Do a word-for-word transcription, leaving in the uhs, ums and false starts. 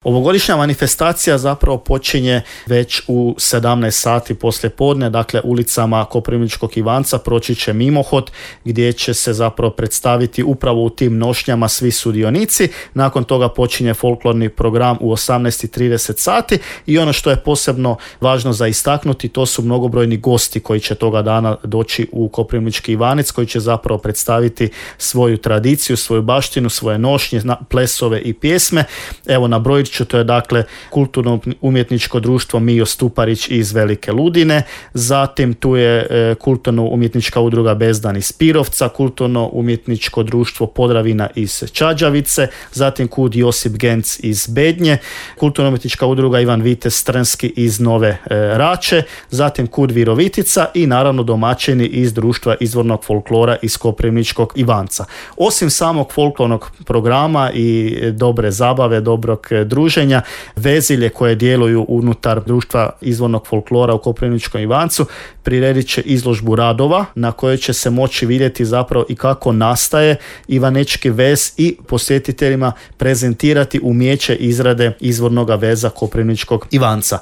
Ovogodišnja manifestacija zapravo počinje već u sedamnaest sati poslije podne, dakle ulicama Koprivničkog Ivanca proći će mimohod gdje će se zapravo predstaviti upravo u tim nošnjama svi sudionici. Nakon toga počinje folklorni program u osamnaest i trideset sati i ono što je posebno važno za istaknuti, to su mnogobrojni gosti koji će toga dana doći u Koprivnički Ivanec, koji će zapravo predstaviti svoju tradiciju, svoju baštinu, svoje nošnje, plesove i pjesme. Evo nabrojit ću, to je dakle kulturno-umjetničko društvo Mijo Stuparić iz Velike Ludine, zatim tu je e, kulturno-umjetnička udruga Bezdan iz Pirovca, kulturno-umjetničko društvo Podravina iz Čađavice, zatim kud Josip Genc iz Bednje, kulturno-umjetnička udruga Ivan Vitez Strnski iz Nove e, Rače, zatim kud Virovitica i naravno domaćini iz društva izvornog folklora iz Koprivničkog Ivanca. Osim samog folklornog programa i dobre zabave, dobrog druženja, vezilje koje djeluju unutar društva izvornog folklora u Koprivničkom Ivancu priredit će izložbu radova na kojoj će se moći vidjeti zapravo i kako nastaje ivanečki vez i posjetiteljima prezentirati umijeće izrade izvornog veza Koprivničkog Ivanca.